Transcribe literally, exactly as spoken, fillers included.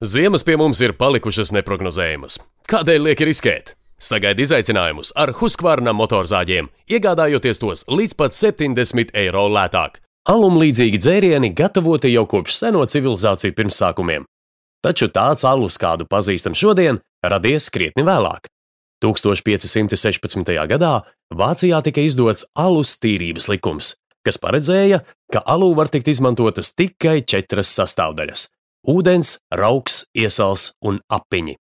Ziemas pie mums ir palikušas neprognozējamas. Kādēļ lieki riskēt? Sagaidi izaicinājumus ar Husqvarna motorzāģiem, iegādājoties tos līdz pat septiņdesmit eiro lētāk. Alumlīdzīgi dzērieni gatavoti jau kopš seno civilizāciju pirmsākumiem. Taču tāds alus, kādu pazīstam šodien, radies krietni vēlāk. tūkstoš pieci simti sešpadsmitajā gadā Vācijā tika izdots alus tīrības likums, kas paredzēja, ka alū var tikt izmantotas tikai četras sastāvdaļas – ūdens, rauks, iesals un apiņi.